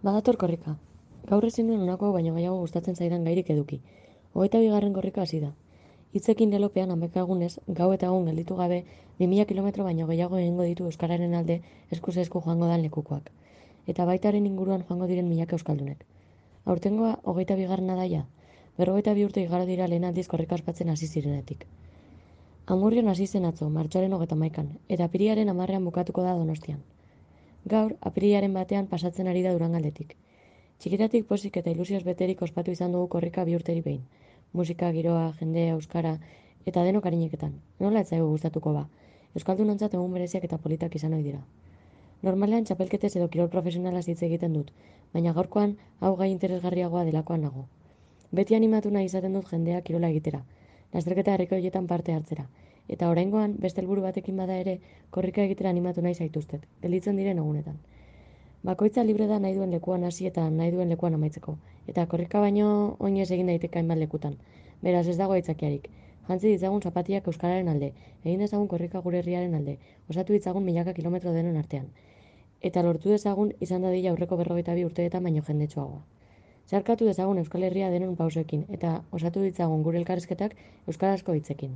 Badator korrika. Gaur ezin duen honako hau baino gehiago gustatzen zaidan gairik eduki. 22. korrika hasi da. Hitzekin lelopean amekagunez, gau eta egun gelditu gabe, 2000 kilometro baino gehiago egingo ditu euskararen alde eskuz esku joango dan lekukoak. Eta baitaren inguruan joango diren milaka euskaldunek. Aurtengoa 22. daia. 52 urte igaro dira lehen aldiz korrika ospatzen hasi zirenetik. Amurrion hasi zen atzo, martxoaren 31, eta apirilaren 10ean bukatuko da Donostian. Gaur, apirilaren 1ean pasatzen ari da Durangaldetik. Txikitatik pozik eta ilusioz beterik ospatu izan dugu korrika 2 urteri behin. Musika, giroa, jendea, euskara, eta denok arineketan. Nola ez zaigu gustatuko ba? Euskaldunontzat egun bereziak eta politak izan ohi dira. Normalean txapelketez edo kirol profesionalaz hitz egiten dut, baina gaurkoan hau gai interesgarriagoa delakoan nago. Beti animatu nahi izaten dut jendea kirola egitera, lasterketa herrikoietan parte hartzera, eta oraingoan beste helburu batekin bada ere korrika egitera animatu nahi zaituztet, gelditzen diren egunetan. Bakoitza libre da nahi duen lekuan hasi eta nahi duen lekuan amaitzeko, eta korrika baino oinez egin daiteke hainbat lekutan. Beraz ez dago aitzakiarik. Jantzi ditzagun zapatiak euskararen alde, egin dezagun korrika gure herriaren alde, osatu ditzagun milaka kilometro denon artean. Eta lortu dezagun izan dadila aurreko 42 urteetan baino jendetsuagoa. Zeharkatu dezagun Euskal Herria denon pausoekin, eta osatu ditzagun gure elkarrizketak euskarazko hitzekin.